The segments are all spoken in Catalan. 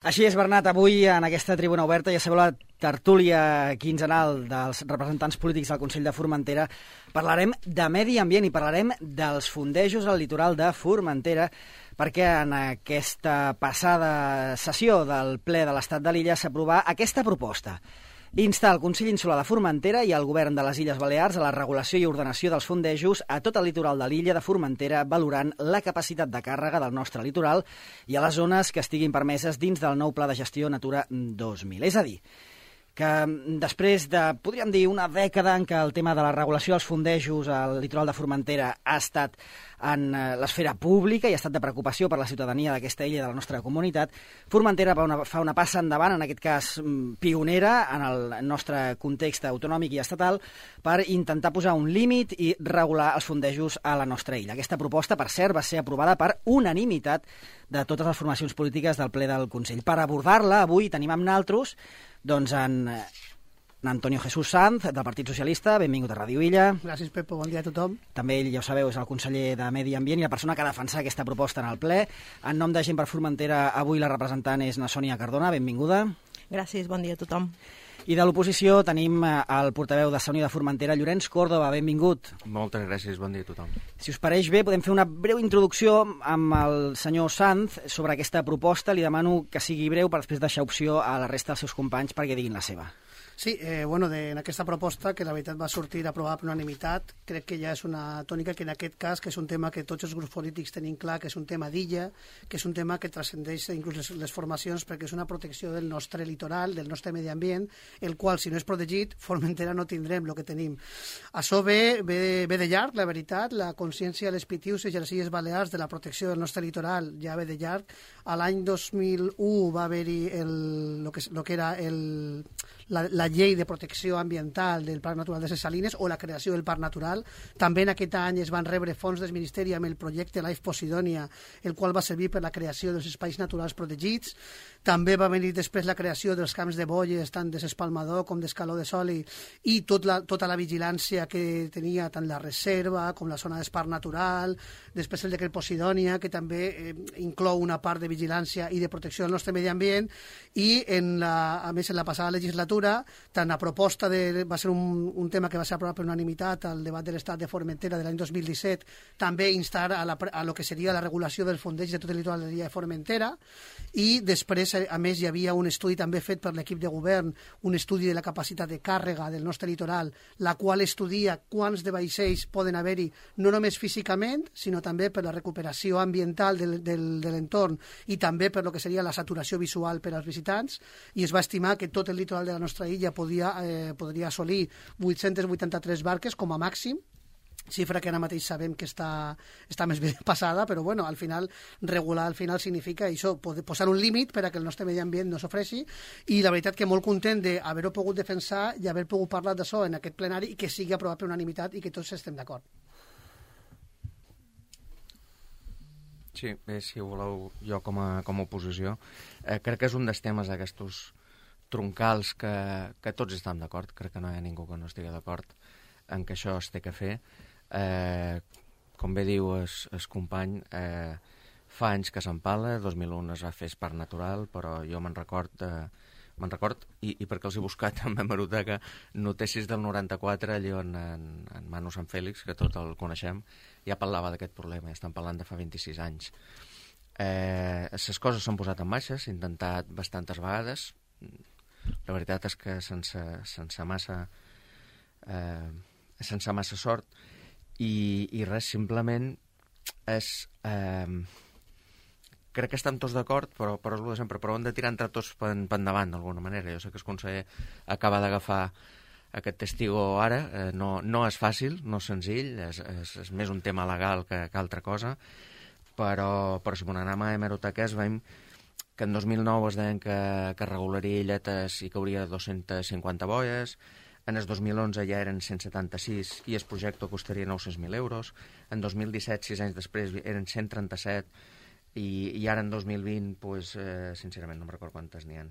Així és, Bernat, avui en aquesta tribuna oberta, ja sabeu, la tertúlia quinzenal dels representants polítics del Consell de Formentera, parlarem de medi ambient i parlarem dels fondejos al litoral de Formentera, perquè en aquesta passada sessió del ple de l'Estat de l'Illa s'aprovà aquesta proposta: instar el Consell Insular de Formentera i el Govern de les Illes Balears a la regulació i ordenació dels fondejos a tot el litoral de l'illa de Formentera, valorant la capacitat de càrrega del nostre litoral i a les zones que estiguin permeses dins del nou Pla de Gestió Natura 2000. És a dir, que després de, podríem dir, una dècada en què el tema de la regulació dels fondejos al litoral de Formentera ha estat en l'esfera pública i ha estat de preocupació per la ciutadania d'aquesta illa i de la nostra comunitat, Formentera fa una passa endavant, en aquest cas pionera, en el nostre context autonòmic i estatal, per intentar posar un límit i regular els fondejos a la nostra illa. Aquesta proposta, per cert, va ser aprovada per unanimitat de totes les formacions polítiques del ple del Consell. Per abordar-la, avui tenim amb naltros doncs en Antonio Jesús Sanz, del Partit Socialista. Benvingut a Ràdio Illa. Gràcies, Pepo. Bon dia a tothom. També ell, ja ho sabeu, és el conseller de Medi Ambient i la persona que ha defensat aquesta proposta en el ple. En nom de Gent per Formentera, avui la representant és na Sònia Cardona. Benvinguda. Gràcies, bon dia a tothom. I de l'oposició tenim el portaveu de Unió de Formentera, Llorenç Córdoba. Benvingut. Moltes gràcies, bon dia a tothom. Si us pareix bé, podem fer una breu introducció amb el senyor Sanz sobre aquesta proposta. Li demano que sigui breu per després deixar opció a la resta dels seus companys perquè diguin la seva. Sí, en aquesta proposta, que la veritat va sortir aprovada per unanimitat, crec que ja és una tònica que en aquest cas, que és un tema que tots els grups polítics tenim clar, que és un tema d'illa, que és un tema que transcendeix inclús les formacions, perquè és una protecció del nostre litoral, del nostre medi ambient, el qual, si no és protegit, Formentera no tindrem el que tenim. Això ve de llarg, la veritat, la consciència de les Pitiuses i les Illes Balears de la protecció del nostre litoral ja ve de llarg. A l'any 2001 va haver-hi el que era la llei de protecció ambiental del Parc Natural de ses Salines o la creació del Parc Natural. També en aquest any es van rebre fons del Ministeri amb el projecte Life Posidònia, el qual va servir per la creació dels espais naturals protegits. També va venir després la creació dels camps de bolles, tant de s'Espalmador com d'Escaló de Soli, i tota la vigilància que tenia tant la reserva com la zona d'esparc natural. Després el decret Posidònia, que també inclou una part de vigilància i de protecció del nostre medi ambient. I, a més, en la passada legislatura, tant la proposta va ser un tema que va ser aprovat per unanimitat al debat de l'Estat de Formentera de l'any 2017, també instar a lo que seria la regulació del fondeig de tot el litoral de l'illa de Formentera. I després, a més, hi havia un estudi també fet per l'equip de govern, un estudi de la capacitat de càrrega del nostre litoral, la qual estudia quants de vaixells poden haver-hi, no només físicament, sinó també per la recuperació ambiental de l'entorn i també per lo que seria la saturació visual per als visitants, i es va estimar que tot el litoral de la nostra illa podria assolir 883 barques com a màxim, xifra que ara mateix sabem que està més ben passada, però bueno, al final regular significa això, posar un límit per a que el nostre medi ambient no s'ofreixi, i la veritat que molt content d'haver-ho pogut defensar i haver pogut parlar d'això en aquest plenari i que sigui aprovat per unanimitat i que tots estem d'acord. Sí, si voleu, jo com a oposició, crec que és un dels temes d'aquests troncals que tots estem d'acord. Crec que no hi ha ningú que no estigui d'acord en que això es té que fer. Com bé diu el company, fa anys que s'empala, 2001 es va fer Parc Natural, però jo me'n record, i perquè els he buscat en hemeroteca, notícies del 94, allò en Manu Sant Fèlix, que tot el coneixem, ja parlava d'aquest problema, ja estan parlant de fa 26 anys. Les coses s'han posat en marxa, s'ha intentat bastantes vegades. La veritat és que sense massa sort, i res, simplement és... crec que estem tots d'acord, però és el de sempre, però hem de tirar entre tots per endavant, d'alguna manera. Jo sé que el conseller acaba d'agafar aquest testigo ara, no és fàcil, no és senzill, és més un tema legal que altra cosa, però si anem a hemeroteques veiem que en 2009 es deien que regularia illetes i que hauria 250 boies, en el 2011 ja eren 176 i el projecte costaria 900.000 euros, en 2017, 6 anys després, eren 137, i ara en 2020, sincerament no em recordo quantes n'hi ha,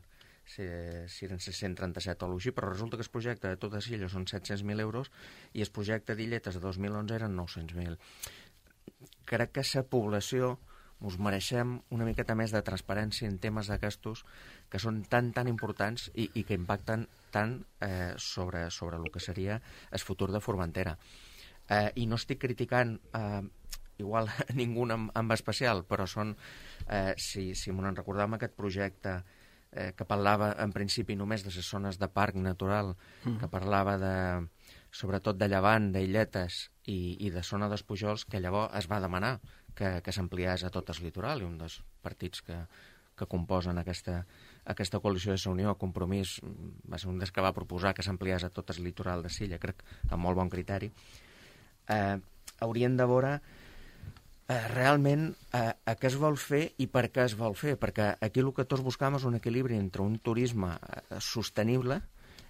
si eren 137 o així, però resulta que el projecte de totes illes són 700.000 euros i el projecte d'illetes de 2011 eren 900.000. Crec que la població us mereixem una miqueta més de transparència en temes d'aquestos que són tan importants i que impacten tant sobre el que seria el futur de Formentera. I no estic criticant igual ningú en especial, però són, si m'ho recordàvem, aquest projecte que parlava en principi només de les zones de parc natural, que parlava sobretot de Llevant, d'Illetes i de zona dels Pujols, que llavors es va demanar que s'ampliés a tot el litoral, i un dels partits que composen aquesta coalició de Unió, Compromís, va ser un dels que va proposar que s'ampliés a tot el litoral de Silla, crec, amb molt bon criteri. Haurien de veure realment a què es vol fer i per què es vol fer, perquè aquí el que tots buscam és un equilibri entre un turisme sostenible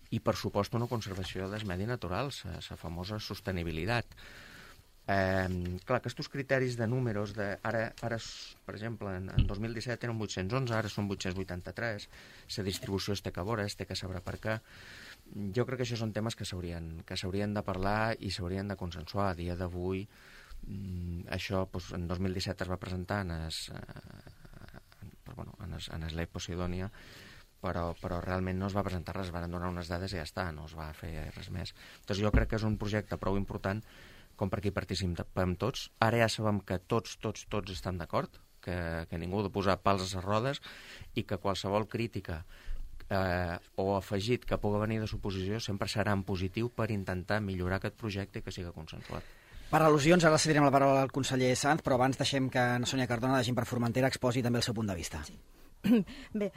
i, per supost, una conservació del medi natural, la famosa sostenibilitat. Clar, aquests criteris de números, ara per exemple, en 2017 eren 811, ara són 883, la distribució es té que veure, es té que saber per què. Jo crec que això són temes que s'haurien de parlar i s'haurien de consensuar. A dia d'avui, això en 2017 es va presentar en el Ley Posidònia, però realment no es va presentar res, es van donar unes dades i ja està, no es va fer res més. Doncs jo crec que és un projecte prou important com perquè hi participem tots. Ara ja sabem que tots estan d'acord, que ningú ha de posar pals a les rodes i que qualsevol crítica o afegit que pugui venir de l'oposició sempre serà en positiu per intentar millorar aquest projecte i que sigui consensuat. Per al·lusions, ara cedirem la paraula al conseller Sanz, però abans deixem que Sònia Cardona, de Gent per Formentera, exposi també el seu punt de vista. Sí. Bé,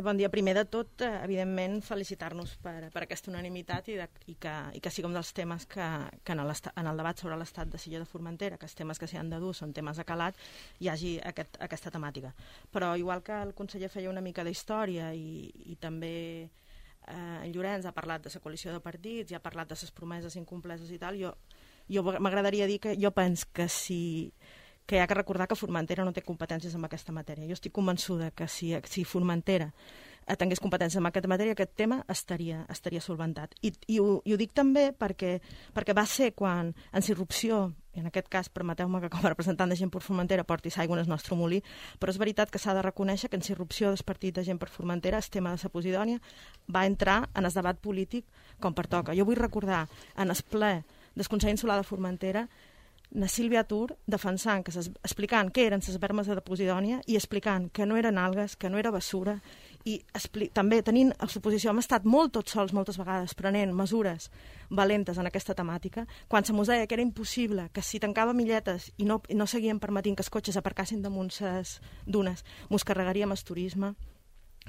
bon dia. Primer de tot, evidentment, felicitar-nos per aquesta unanimitat i que sigui un dels temes que en el debat sobre l'estat de Silla de Formentera, que els temes que s'hi han de dur són temes de calat, hi hagi aquesta temàtica. Però igual que el conseller feia una mica d'història i també en Llorenç ha parlat de la coalició de partits i ha parlat de les promeses incompleses i tal, jo m'agradaria dir que jo penso que hi ha que recordar que Formentera no té competències en aquesta matèria. Jo estic convençuda que si Formentera tingués competències en aquesta matèria, aquest tema estaria solventat. I ho dic també perquè va ser quan, en irrupció, i en aquest cas, permeteu-me que com a representant de Gent per Formentera porti l'aigua en el nostre molí, però és veritat que s'ha de reconèixer que en irrupció del partit de Gent per Formentera el tema de la Posidònia va entrar en el debat polític com pertoca. Jo vull recordar en el ple del Consell Insular de Formentera na Sílvia Tur explicant què eren les vermes de Posidònia i explicant que no eren algues, que no era bessura, i també tenint a l'oposició hem estat molt tots sols moltes vegades prenent mesures valentes en aquesta temàtica, quan se mos deia que era impossible, que si tancava milletes i no seguien permetint que els cotxes aparcassin damunt les dunes, mos carregaríem el turisme.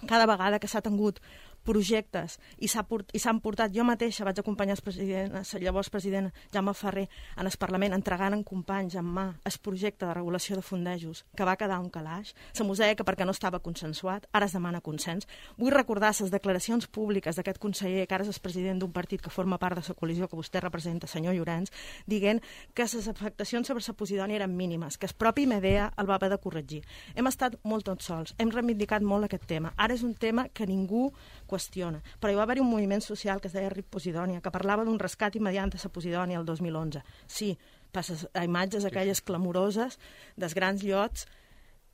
Cada vegada que s'ha tingut projectes i s'han portat, jo mateixa vaig acompanyar el llavors president Jaume Ferrer en el Parlament entregant en companys en mà el projecte de regulació de fondejos que va quedar un calaix, se mos deia que perquè no estava consensuat, ara es demana consens. Vull recordar les declaracions públiques d'aquest conseller, que ara és el president d'un partit que forma part de la coalició que vostè representa, senyor Llorenç, dient que les afectacions sobre la Posidònia eren mínimes, que el propi Medea el va haver de corregir. Hem estat molt tots sols, hem reivindicat molt aquest tema. Ara és un tema que ningú qüestiona. Però hi va haver un moviment social que es deia RIP Posidònia, que parlava d'un rescat immediat de la Posidònia el 2011. Sí, passes a imatges aquelles clamoroses dels grans llots,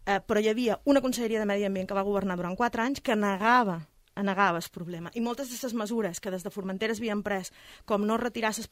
però hi havia una conselleria de Medi Ambient que va governar durant 4 anys que negava el problema. I moltes d'aquestes mesures que des de Formentera s'havien pres, com no retirar les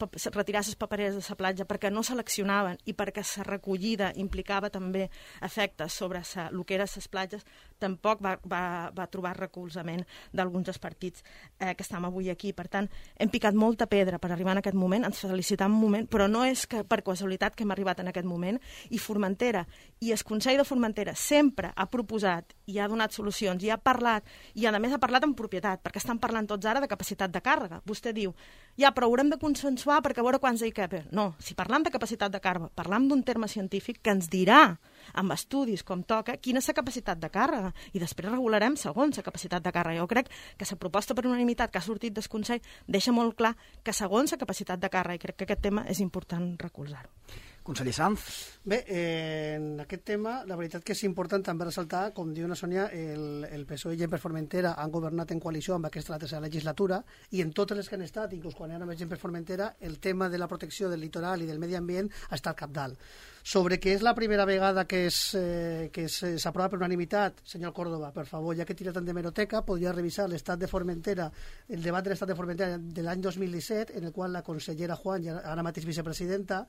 papereres de la platja perquè no seleccionaven i perquè la recollida implicava també efectes sobre el que eren les platges, tampoc va trobar recolzament d'alguns dels partits que estem avui aquí. Per tant, hem picat molta pedra per arribar en aquest moment, ens felicitam un moment, però no és que per casualitat que hem arribat en aquest moment, i Formentera i el Consell de Formentera sempre ha proposat i ha donat solucions i ha parlat, i a més ha parlat amb propietat, perquè estan parlant tots ara de capacitat de càrrega. Vostè diu, ja, però haurem de consensuar perquè a veure quants hi cap. No, si parlam de capacitat de càrrega, parlam d'un terme científic que ens dirà, amb estudis com toca, quina és la capacitat de càrrega, i després regularem segons la capacitat de càrrega. Jo crec que la proposta per unanimitat que ha sortit del Consell deixa molt clar que segons la capacitat de càrrega, i crec que aquest tema és important recolzar-ho. Conseller Sanz. Bé, en aquest tema, la veritat que és important també ressaltar, com diu la Sònia, el PSOE i Gent per Formentera han governat en coalició amb aquesta la tercera legislatura, i en totes les que han estat, inclús quan érem Gent per Formentera, el tema de la protecció del litoral i del medi ambient ha estat cabdal. Sobre que és la primera vegada que s'aprova per unanimitat, senyor Córdoba, per favor, ja que tira tant de meroteca, podria revisar l'estat de Formentera, el debat de l'estat de Formentera de l'any 2017, en el qual la consellera Juan, ara mateix vicepresidenta,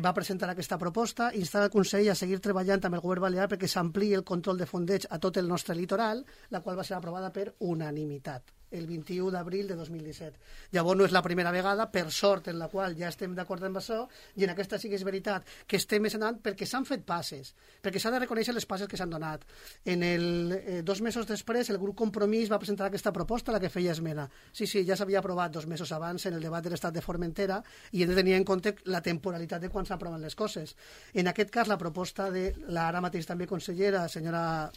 va presentar aquesta proposta, instar el Consell a seguir treballant amb el govern balear perquè s'ampliï el control de fondeig a tot el nostre litoral, la qual va ser aprovada per unanimitat el 21 d'abril de 2017. Llavors no és la primera vegada, per sort, en la qual ja estem d'acord amb això, i en aquesta sí que és veritat que estem més anant perquè s'han fet passes, perquè s'ha de reconèixer les passes que s'han donat. 2 mesos després, el grup Compromís va presentar aquesta proposta, la que feia esmena. Sí, ja s'havia aprovat 2 mesos abans en el debat de l'estat de Formentera, i hem de tenir en compte la temporalitat de quan s'aproven les coses. En aquest cas, la proposta de la ara mateix també consellera, senyora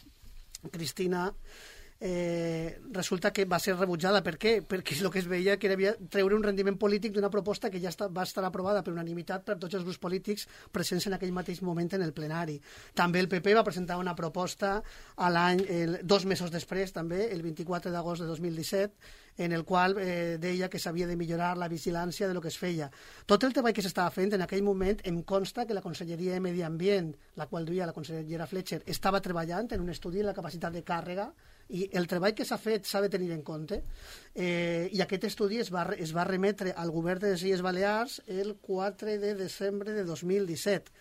Cristina, resulta que va ser rebutjada. Per què? Perquè el que es veia que era treure un rendiment polític d'una proposta que ja va estar aprovada per unanimitat per tots els grups polítics presents en aquell mateix moment en el plenari. També el PP va presentar una proposta 2 mesos després, també, el 24 d'agost de 2017, en el qual deia que s'havia de millorar la vigilància de lo que es feia. Tot el treball que s'estava fent en aquell moment em consta que la Conselleria de Medi Ambient, la qual duia la consellera Fletcher, estava treballant en un estudi de la capacitat de càrrega, i el treball que s'ha fet s'ha de tenir en compte, i aquest estudi es va remetre al govern de les Illes Balears el 4 de desembre de 2017.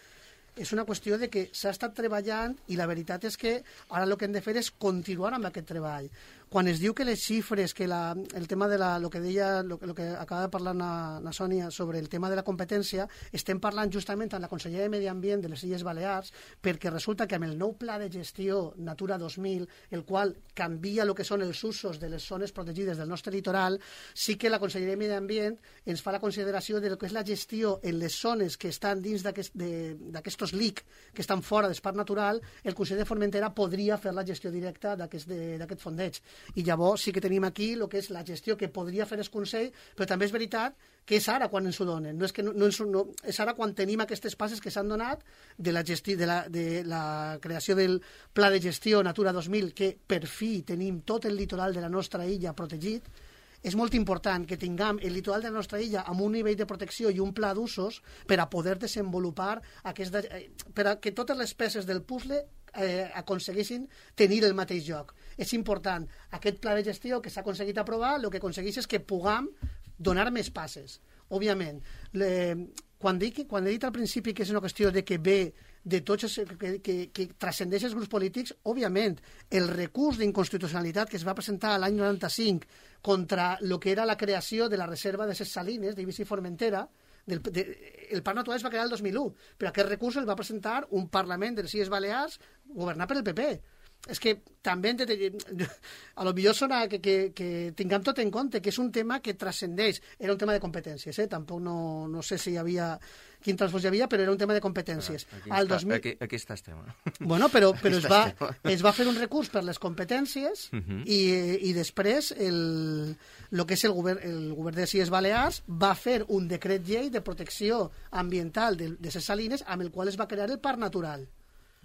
És una qüestió de que s'ha estat treballant, i la veritat és que ara el que hem de fer és continuar amb aquest treball. Quan es diu que les xifres, que el tema de lo que deia, lo que acaba de parlar la Sònia sobre el tema de la competència, estem parlant justament amb la Conselleria de Medi Ambient de les Illes Balears, perquè resulta que amb el nou pla de gestió Natura 2000, el qual canvia el que són els usos de les zones protegides del nostre litoral, sí que la Conselleria de Medi Ambient ens fa la consideració de lo que és la gestió en les zones que estan dins d'aquestos LIC, que estan fora d'espai natural. El Consell de Formentera podria fer la gestió directa d'aquest fondeig. I llavors sí que tenim aquí el que és la gestió que podria fer el Consell, però també és veritat que és ara quan ens ho donen. És ara quan tenim aquestes passes que s'han donat de la creació del Pla de Gestió Natura 2000, que per fi tenim tot el litoral de la nostra illa protegit. És molt important que tinguem el litoral de la nostra illa amb un nivell de protecció i un pla d'usos per a poder desenvolupar per a que totes les peces del puzzle aconseguissin tenir el mateix lloc. És important. Aquest pla de gestió que s'ha aconseguit aprovar, el que aconsegueix és que puguem donar més passes. Òbviament, quan he dit al principi que és una qüestió de que ve de tots que transcendeix els grups polítics, òbviament, el recurs d'inconstitucionalitat que es va presentar l'any 95 contra el que era la creació de la reserva de ses salines d'Eivissa i Formentera, el Parc Natural es va crear el 2001, però aquest recurs el va presentar un Parlament de les Illes Balears governat per el PP. És que també a lo millor sona que tinguem tot en compte, que és un tema que transcendeix. Era un tema de competències, tampoc no sé si hi havia quin transfons hi havia, però era un tema de competències. Aquí està el tema. Bueno, però es va fer un recurs per les competències, i després el que és el govern de les Illes Balears va fer un decret llei de protecció ambiental de les salines amb el qual es va crear el Parc Natural.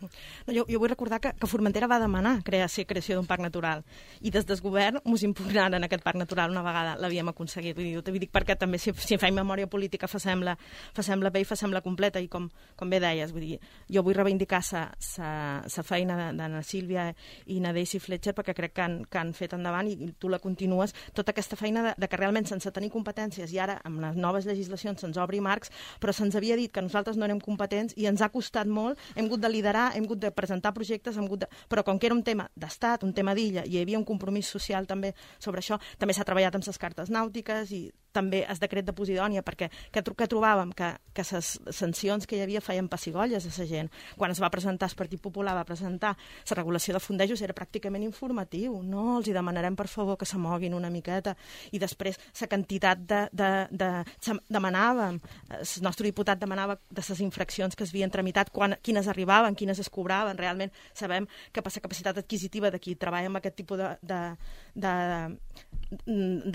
No, jo vull recordar que Formentera va demanar creació d'un parc natural, i des del govern ens impugnaren aquest parc natural una vegada l'havíem aconseguit. Vull dir perquè també si fem memòria política facem-la bé i facem-la completa, i com bé deies, vull dir, jo vull reivindicar la feina d'Anna Sílvia i na Daisy Fletcher, perquè crec que han fet endavant, i tu la continues, tota aquesta feina de que realment sense tenir competències, i ara amb les noves legislacions se'ns obri marcs, però se'ns havia dit que nosaltres no érem competents i ens ha costat molt, hem hagut de liderar, hem hagut de presentar projectes, però com que era un tema d'estat, un tema d'illa, i hi havia un compromís social també sobre això, també s'ha treballat amb les cartes nàutiques i també el decret de Posidònia, perquè que trobàvem que les sancions que hi havia feien pessigolles a la gent. Quan es va presentar, el Partit Popular va presentar la regulació de fondejos, era pràcticament informatiu. No, els hi demanarem per favor que se moguin una miqueta, i després la quantitat demanàvem, el nostre diputat demanava de les infraccions que es havien tramitat, quines arribaven, quines es cobraven. Realment sabem que per la capacitat adquisitiva de qui treballa amb aquest tipus de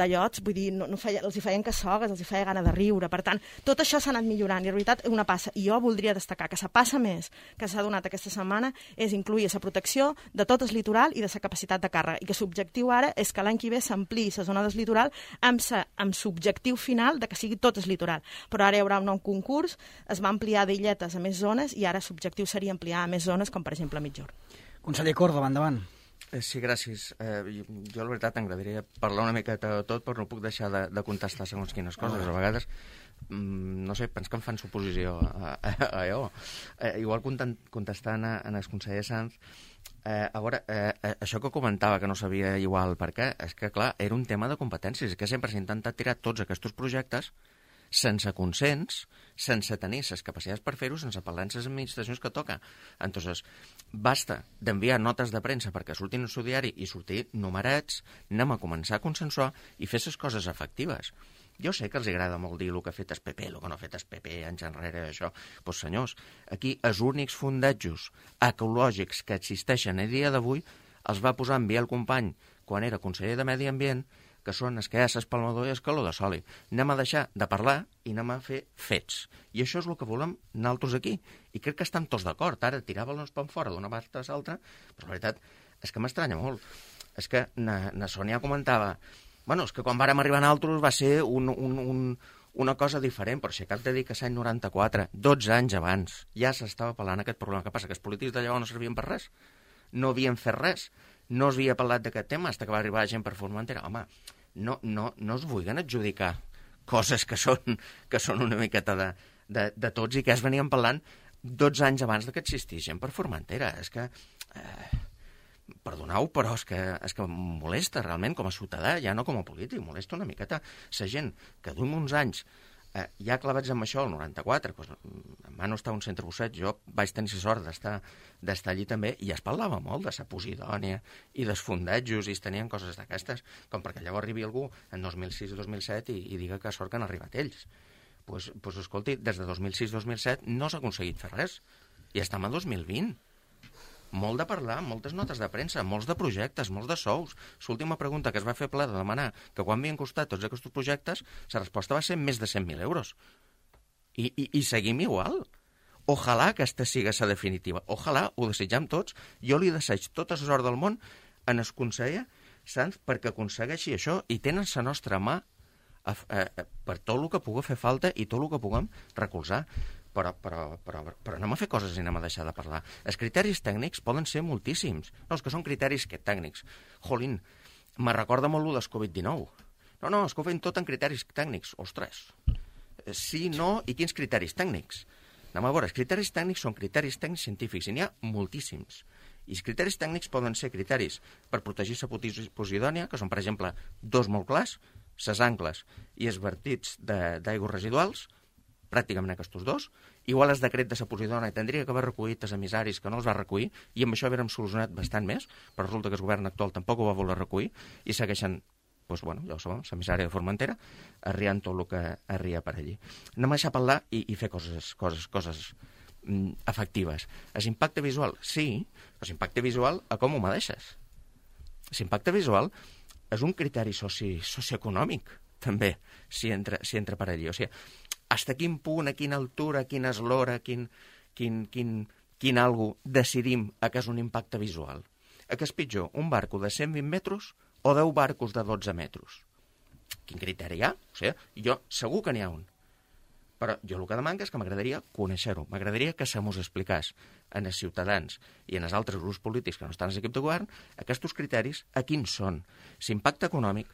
llots, vull dir, els hi feien cassogues, els hi feia gana de riure. Per tant, tot això s'ha anat millorant i, en realitat, una passa. I jo voldria destacar que la passa més que s'ha donat aquesta setmana és incluir la protecció de tot el litoral i de la capacitat de càrrega. I que l'objectiu ara és que l'any que ve s'ampliï la zona del litoral amb l'objectiu final de que sigui tot el litoral. Però ara hi haurà un nou concurs, es va ampliar d'illetes a més zones i ara l'objectiu seria ampliar a més zones, com per exemple a Mitjorn. Conseller Córdoba, endavant. Sí, gràcies. Jo, la veritat, m'agradaria parlar una miqueta de tot, però no puc deixar de contestar segons quines coses. A vegades, no sé, penso que em fan suposició a allò. Igual contestant a el conseller Sanz, a veure, això que comentava, que no sabia igual per què, és que, clar, era un tema de competències, que sempre s'ha intentat tirar tots aquests projectes sense consens, sense tenir les capacitats per fer-ho, sense parlar amb les administracions que toca. Entonces, basta d'enviar notes de premsa perquè surtin en el seu diari i sortir numerets, anem a començar a consensuar i fer les coses efectives. Jo sé que els agrada molt dir el que ha fet el PP, el que no ha fet el PP, anys enrere, això. Doncs, senyors, aquí els únics fundejos ecològics que existeixen a dia d'avui els va posar en Biel Company quan era conseller de Medi Ambient, que són es que hi ha l'espalmador i el calor de soli. Anem a deixar de parlar i anem a fer fets. I això és el que volem nosaltres aquí. I crec que estan tots d'acord. Ara tiràvem-nos per fora d'una part a l'altra, però la veritat és que m'estranya molt. És que na Sònia comentava, bueno, és que quan vàrem arribar nosaltres va ser una cosa diferent, però si cap de dir que l'any 94, 12 anys abans, ja s'estava parlant aquest problema. Què passa? Que els polítics de llavors no servien per res? No havien fet res? No s'havia parlat d'aquest tema fins que va arribar la gent per Formentera? Home, no es vulguin adjudicar coses que són una miqueta de tots i que es venien parlant 12 anys abans que existís gent per Formentera. És que, perdoneu, però és que molesta realment com a ciutadà, ja no com a polític, molesta una miqueta la gent que d'un uns anys ja clavats amb això, el 94, doncs, en Manu estava a un centre Busset, jo vaig tenir la sort d'estar allí també, i es parlava molt de la Posidònia i dels fundejos, i es tenien coses d'aquestes, com perquè llavors arribi algú en 2006-2007 i diga que sort que han arribat ells. Doncs escolti, des de 2006-2007 no s'ha aconseguit fer res, i estem a 2020. Molt de parlar, moltes notes de premsa, molts de projectes, molts de sous. L'última pregunta que es va fer ple de demanar que quan havien costat tots aquests projectes, la resposta va ser més de 100.000 euros. I seguim igual. Ojalà que aquesta sigui la definitiva. Ojalà, ho desitjam tots. Jo li deseig tota la sort del món en el conseller Sanz perquè aconsegueixi això i tenen la nostra mà per tot el que pugui fer falta i tot el que puguem recolzar. Però anem a fer coses i anem a deixar de parlar. Els criteris tècnics poden ser moltíssims. No, és que són criteris tècnics. Jolín, me recorda molt el del Covid-19. No, és que ho feien tot en criteris tècnics. Ostres, sí, no, i quins criteris tècnics? Anem a veure, els criteris tècnics són criteris tècnics científics, i n'hi ha moltíssims. I els criteris tècnics poden ser criteris per protegir la Posidònia, que són, per exemple, dos molt clars, les angles i els vertits d'aigües residuals, pràcticament aquests dos. Igual el decret de la Posidònia tindria que haver recollit els emissaris que no els va recollir, i amb això havíem solucionat bastant més, però resulta que el govern actual tampoc ho va voler recollir, i segueixen, doncs, bueno, ja ho sabem, l'emissària de Formentera, arriant tot el que arria per allí. Anem a deixar parlar i fer coses efectives. L'impacte visual, sí, però l'impacte visual, a com ho medeixes? L'impacte visual és un criteri socioeconòmic, també, si entra per allí. O sigui, fins a quin punt, a quina altura, quina eslora, quin algo decidim que és un impacte visual? Que és pitjor, un barco de 120 metres o 10 barcos de 12 metres? Quin criteri hi ha? O sigui, jo segur que n'hi ha un. Però jo el que demano és que m'agradaria conèixer-ho. M'agradaria que se mos expliqués en els ciutadans i en els altres grups polítics que no estan a l'equip de govern aquests criteris a quins són. L'impacte econòmic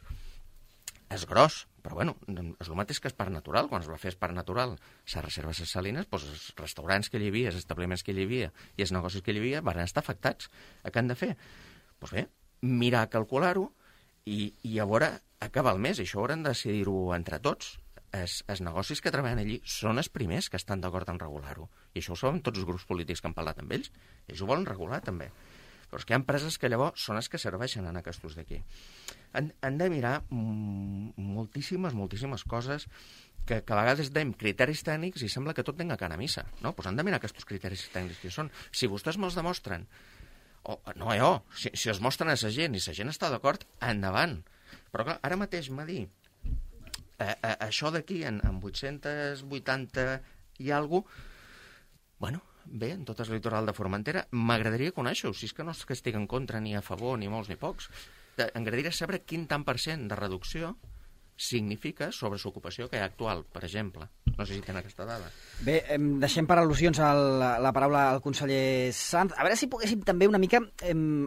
és gros, però bueno, és el mateix que el parc natural. Quan es va fer el parc natural, les reserves de salines, doncs els restaurants que hi havia, els establiments que hi havia i els negocis que hi havia van estar afectats. Què han de fer? Doncs bé, mirar, calcular-ho i a veure acabar el mes. I això haurem de decidir-ho entre tots. Els negocis que treballen allí són els primers que estan d'acord en regular-ho. I això ho saben tots els grups polítics que han parlat amb ells. Ells ho volen regular, també. Però és que hi ha empreses que llavors són les que serveixen en aquests d'aquí. Han de mirar moltíssimes coses que a vegades dèiem criteris tècnics i sembla que tot tenga cana a missa. No? Doncs han de mirar aquests criteris tècnics que són. Si vostès me'ls demostren, si els mostren a la gent i la gent està d'acord, endavant. Però clar, ara mateix m'ha dit Això d'aquí, en 880 i alguna cosa, bueno, bé, en tot el litoral de Formentera, m'agradaria conèixer-ho, si és que no és que estic en contra ni a favor, ni molts ni pocs. M'agradaria saber quin tant per cent de reducció significa sobre l'ocupació que hi ha actual, per exemple. No sé si tenen aquesta dada. Bé, deixem per al·lusions la paraula al conseller Sanz. A veure si poguéssim també una mica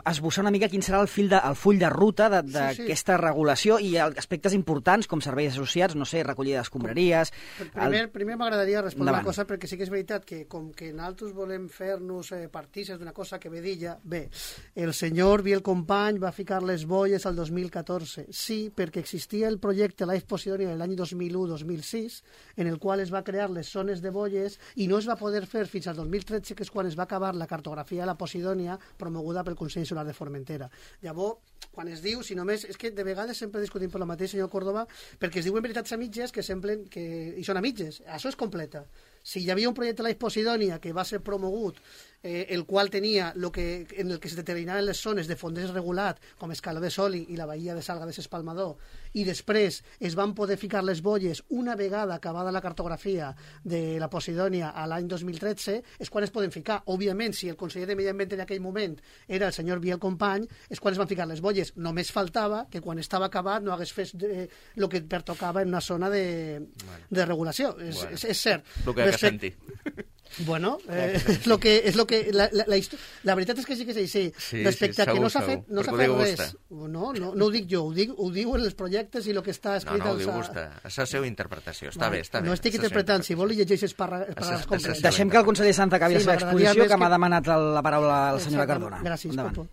esbossar una mica quin serà el full de ruta d'aquesta regulació i aspectes importants com serveis associats, no sé, recollida d'escombraries... Primer m'agradaria respondre una cosa, perquè sí que és veritat que com que nosaltres volem fer-nos partícips d'una cosa que ve d'ella, bé, el senyor Biel Company va ficar les boies al 2014. Sí, perquè existia el projecte Life Posidonia en l'any 2001-2006, en el qual es va crear les zones de boies i no es va poder fer fins al 2013, que és quan es va acabar la cartografia de la Posidònia promoguda pel Consell Insular de Formentera. Llavors, quan es diu, si només... És que de vegades sempre discutim per la mateixa, senyor Córdoba, perquè es diuen veritats a mitges que semblen que... i són a mitges. Això és completa. Si hi havia un projecte Life Posidònia que va ser promogut, el qual tenia en el que es determinaven les zones de fonders regulat, com Escaló de Soli i la bahia de Salga de S'Espalmador, i després es van poder ficar les boies una vegada acabada la cartografia de la Posidònia a l'any 2013, és quan es poden ficar. Òbviament, si el conseller de Medi Ambient en aquell moment era el senyor Biel Company, és quan es van ficar les boies. Només faltava que quan estava acabat no hagués fet el que pertocava en una zona de regulació. És cert. El que senti. Bueno, la veritat és que sí que és així. Respecte a que no s'ha fet res. No ho dic jo, ho diuen els projectes i el que està escrit... No, ho diu vostè. És la seva interpretació. Està bé. No estic interpretant. Si vol, llegeix els paràgrafs complets. Deixem que el conseller Sanz acabi la seva exposició, que m'ha demanat la paraula la senyora Cardona. Gràcies, Copo.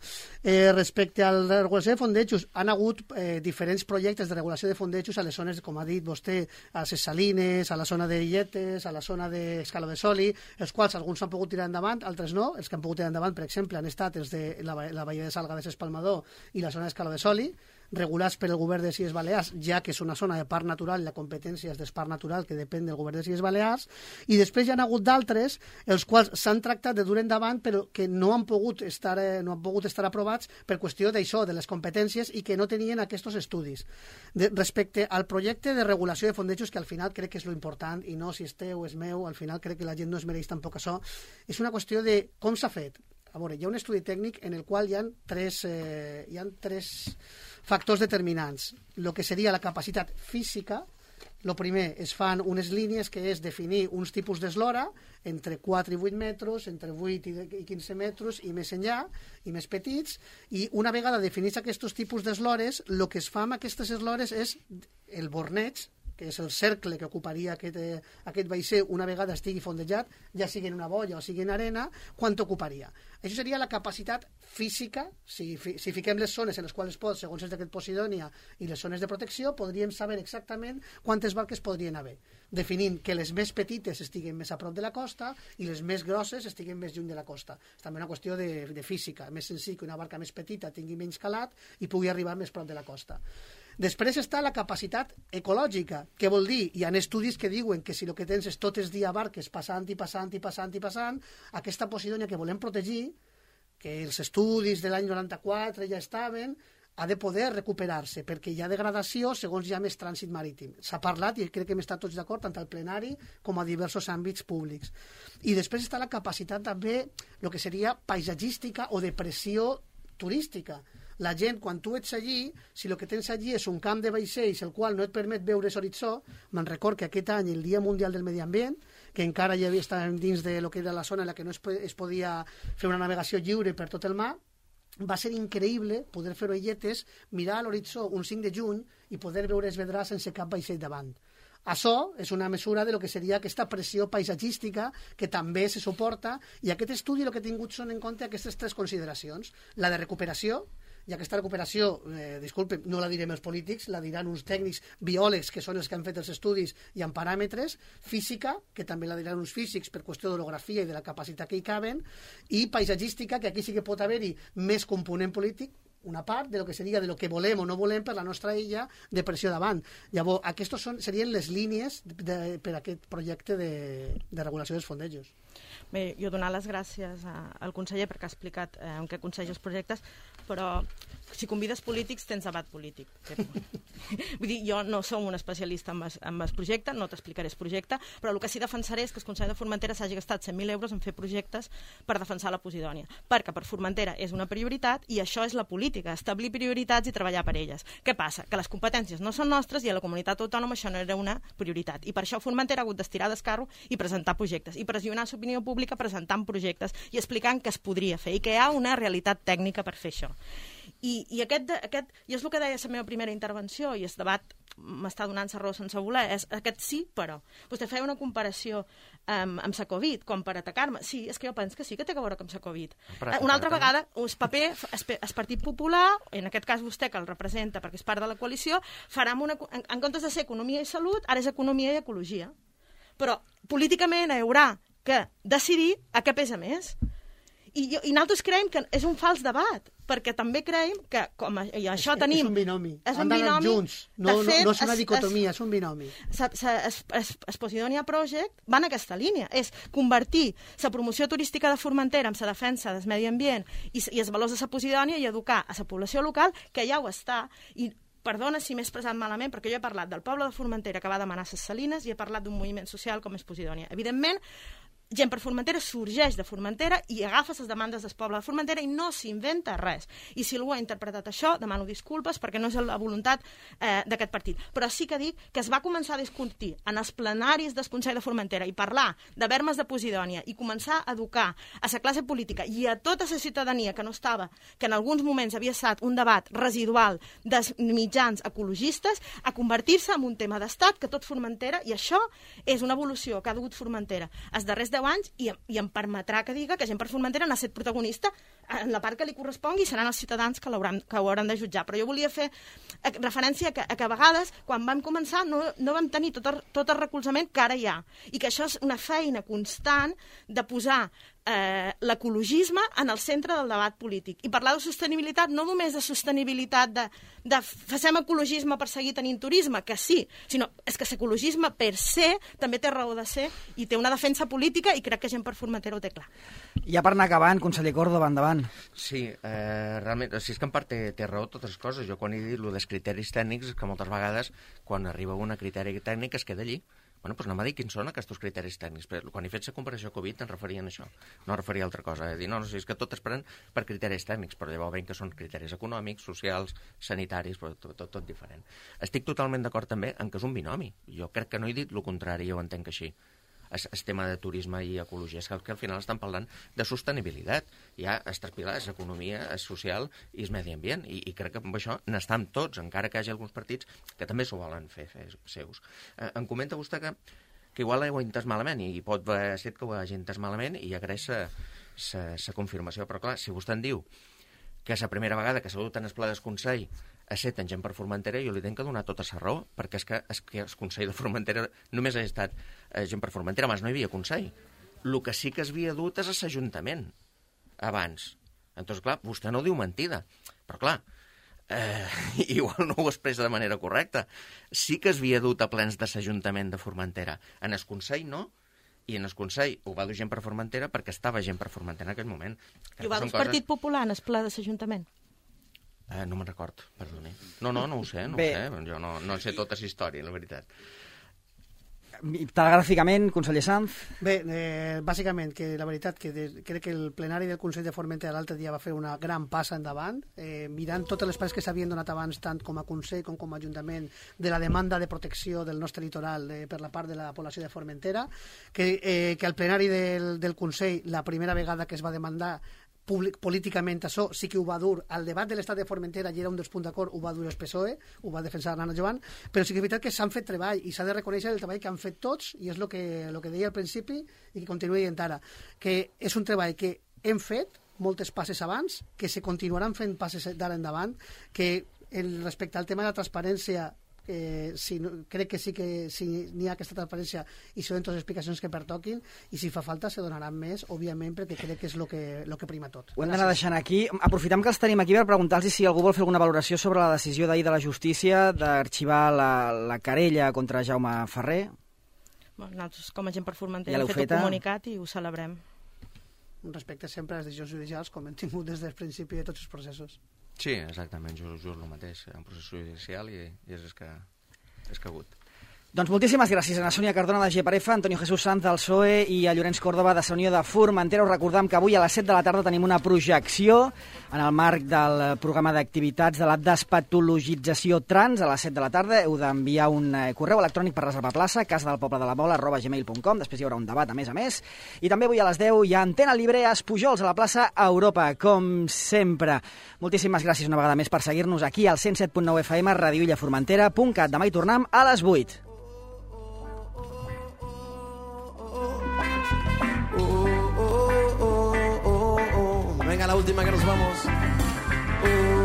Respecte a la regulació de fondejos, han hagut diferents projectes de regulació de fondejos a les zones, com ha dit vostè, a les Salines, a la zona de Illetes, a la zona d'Escaló de Soli, els quals alguns han pogut tirar endavant, altres no. Els que han pogut tirar endavant, per exemple, han estat els de la bahia de Salga de S'Espalmador i la zona d'Escaló de Soli, regulats per el govern de les Illes Balears, ja que és una zona de parc natural i la competència és del parc natural que depèn del govern de les Illes Balears, i després hi ha hagut d'altres els quals s'han tractat de dur endavant però que no han pogut estar aprovats per qüestió d'això, de les competències, i que no tenien aquests estudis. Respecte al projecte de regulació de fondejos, que al final crec que és lo important, i no si és teu o és meu, al final crec que la gent no es mereix tampoc això, és una qüestió de com s'ha fet. A veure, hi ha un estudi tècnic en el qual hi ha tres factors determinants. El que seria la capacitat física. El primer, es fan unes línies que és definir uns tipus d'eslora entre 4 i 8 metres, entre 8 i 15 metres i més enllà, i més petits, i una vegada definits aquests tipus d'eslores, el que es fa amb aquestes eslores és el borneig, que és el cercle que ocuparia aquest vaixell una vegada estigui fondejat, ja sigui en una boia o sigui en arena, quant ocuparia. Això seria la capacitat física. Si fiquem les zones en les quals es pot, segons el decret Posidònia, i les zones de protecció, podríem saber exactament quantes barques podrien haver, definint que les més petites estiguen més a prop de la costa i les més grosses estiguen més lluny de la costa. És també una qüestió de física. Més senzill que una barca més petita tingui menys calat i pugui arribar més prop de la costa. Després està la capacitat ecològica. Què vol dir? Hi ha estudis que diuen que si el que tens és tot el dia barques passant i passant i passant i passant, aquesta Posidònia que volem protegir, que els estudis de l'any 94 ja estaven, ha de poder recuperar-se, perquè hi ha degradació segons hi ha més trànsit marítim. S'ha parlat, i crec que hem estat tots d'acord, tant al plenari com a diversos àmbits públics. I després està la capacitat també, el que seria paisatgística o de pressió turística. La gent, quan tu ets allí, si el que tens allí és un camp de vaixells el qual no et permet veure l'horitzó, me'n record que aquest any, el Dia Mundial del Medi Ambient, que encara ja estàvem dins de lo que era la zona en la que no es podia fer una navegació lliure per tot el mar, va ser increïble poder fer-ho a Illetes, mirar a l'horitzó un 5 de juny i poder veure es vedrà sense cap vaixell davant. Això és una mesura de lo que seria aquesta pressió paisatgística que també se suporta, i aquest estudi el que ha tingut són en compte aquestes tres consideracions. La de recuperació, i aquesta recuperació, disculpen, no la direm els polítics, la diran uns tècnics biòlegs que són els que han fet els estudis i amb paràmetres, física, que també la diran uns físics per qüestió d'orografia i de la capacitat que hi caben, i paisatgística, que aquí sí que pot haver-hi més component polític, una part de lo que seria de lo que volem o no volem per la nostra illa de pressió davant. Llavors, aquestes serien les línies per a aquest projecte de regulació dels fondejos. Bé, jo donar les gràcies al conseller perquè ha explicat en què consisteix els projectes, però si convides polítics tens debat polític. Vull dir, jo no som un especialista en el projecte, no t'explicaré el projecte, però el que sí defensaré és que el Consell de Formentera s'hagi gastat 100.000 euros en fer projectes per defensar la Posidònia, perquè per Formentera és una prioritat i això és la política, establir prioritats i treballar per elles. Què passa? Que les competències no són nostres i a la comunitat autònoma això no era una prioritat. I per això Formentera ha hagut d'estirar d'escarro i presentar projectes, i pressionar l'opinió pública presentant projectes i explicant que es podria fer i que hi ha una realitat tècnica per fer això. I aquest, i és el que deia la meva primera intervenció, i el debat m'està donant la raó sense voler, és aquest sí, però. Vostè feia una comparació amb la Covid, com per atacar-me. Sí, és que jo penso que sí que té a veure amb la Covid. Una altra vegada, el paper, el Partit Popular, en aquest cas vostè, que el representa perquè és part de la coalició, farà en comptes de ser economia i salut, ara és economia i ecologia. Però políticament hi haurà que decidir a què pesa més. I nosaltres creiem que és un fals debat, perquè també creiem que, com això tenim... És un binomi. Han d'anar junts. No és una dicotomia, és un binomi. El Posidonia Project va en aquesta línia. És convertir la promoció turística de Formentera en la defensa del medi ambient i els valors de la Posidònia i educar a la població local, que ja ho està. I perdona si m'he expressat malament, perquè jo he parlat del poble de Formentera que va demanar les salines i he parlat d'un moviment social com és Posidònia. Evidentment, Gent per Formentera sorgeix de Formentera i agafa les demandes del poble de Formentera i no s'inventa res. I si algú ha interpretat això, demano disculpes perquè no és la voluntat d'aquest partit. Però sí que dic que es va començar a discutir en els plenaris del Consell de Formentera i parlar de vermes de Posidònia i començar a educar a la classe política i a tota la ciutadania que no estava, que en alguns moments havia estat un debat residual dels mitjans ecologistes, a convertir-se en un tema d'estat que tot Formentera, i això és una evolució que ha dugut Formentera els darrers 10 anys i em permetrà que diga que Gent per Formentera n'ha estat protagonista en la part que li correspongui i seran els ciutadans que ho hauran de jutjar. Però jo volia fer referència a que a vegades, quan vam començar, no vam tenir tot el recolzament que ara hi ha. I que això és una feina constant de posar l'ecologisme en el centre del debat polític. I parlar de sostenibilitat, no només de sostenibilitat de facem ecologisme per seguir tenint turisme, que sí, sinó és que l'ecologisme per se també té raó de ser i té una defensa política i crec que Gent per Formentera ho té clar. Ja per anar acabant, conseller Córdoba, endavant. Sí, realment, si és que en part té raó totes les coses. Jo quan he dit dels criteris tècnics és que moltes vegades quan arriba un criteri tècnic es queda allí. Bueno, doncs anem a dir quins són aquests criteris tècnics. Però quan he fet la comparació Covid em referien a això, no referia a altra cosa. Dir, no, és que tot es pren per criteris tècnics, però llavors veiem que són criteris econòmics, socials, sanitaris, però tot diferent. Estic totalment d'acord també en que és un binomi. Jo crec que no he dit el contrari, jo ho entenc així. El tema de turisme i ecologia, és que al final estan parlant de sostenibilitat. Hi ha tres pilars, economia, social i el medi ambient, i crec que amb això n'estan tots, encara que hi hagi alguns partits que també s'ho volen fer seus. Em comenta vostè que igual ho ha entès malament, i pot ser que ho hagi entès malament, i agraeix la confirmació, però clar, si vostè en diu que és la primera vegada que s'ha dut en el pla del Consell a ser en Gent per Formentera, jo li tenc que donar tota la raó, perquè és que el Consell de Formentera només ha estat Gent per Formentera, abans no hi havia Consell. El que sí que es havia dut és l'Ajuntament, abans. Entonces, clar, vostè no diu mentida, però clar, igual no ho expressa de manera correcta. Sí que es havia dut a plens de l'Ajuntament de Formentera. En el Consell no, i en el Consell ho va dur Gent per Formentera perquè estava Gent per Formentera en aquell moment. I ho va dur el Partit Popular en el ple de l'Ajuntament? No me'n record, perdoni. No ho sé, jo no sé tota la història, la veritat. Telegràficament, conseller Sanz. Bé, bàsicament, que la veritat que crec que el plenari del Consell de Formentera l'altre dia va fer una gran passa endavant, mirant totes les passes que s'havien donat abans, tant com a Consell com a Ajuntament, de la demanda de protecció del nostre litoral per la part de la població de Formentera, que al plenari del Consell, la primera vegada que es va demandar políticament això sí que ho va dur al debat de l'estat de Formentera, i era un dels punts d'acord, ho va dur el PSOE, ho va defensar Nana Joan, però sí que és veritat que s'han fet treball i s'ha de reconèixer el treball que han fet tots, i és el que deia al principi i que continua dient ara, que és un treball que hem fet moltes passes abans, que se continuaran fent passes d'ara endavant, que respecte al tema de la transparència crec que sí que si n'hi ha aquesta transparència i se donen totes les explicacions que pertoquin, i si fa falta se donaran més, òbviament, perquè crec que és el que prima tot. Ho hem d'anar deixant aquí. Aprofitem que els tenim aquí per preguntar-los si algú vol fer alguna valoració sobre la decisió d'ahir de la justícia d'arxivar la querella contra Jaume Ferrer. Nosaltres, com a Gent per Formentera, hem fet un comunicat i ho celebrem. Respecte sempre a les decisions judicials, com hem tingut des del principi de tots els processos. Sí, exactament, just el mateix. Hi ha un procés judicial i és escagut. Doncs moltíssimes gràcies a Sònia Cardona de GPRF, Antonio Jesús Sanz del PSOE i a Llorenç Córdoba de Unió de Formentera. Us recordam que avui a les 7 de la tarda tenim una projecció en el marc del programa d'activitats de la despatologització trans. A les 7 de la tarda heu d'enviar un correu electrònic per reservar plaça, casadalpobledelamola@gmail.com. Després hi haurà un debat a més. I també avui a les 10 hi ha Antena Libre a Espujols, a la plaça Europa, com sempre. Moltíssimes gràcies una vegada més per seguir-nos aquí al 107.9 FM, radioillaformentera.cat. Demà hi tornem a les 8. Venga, la última que nos vamos.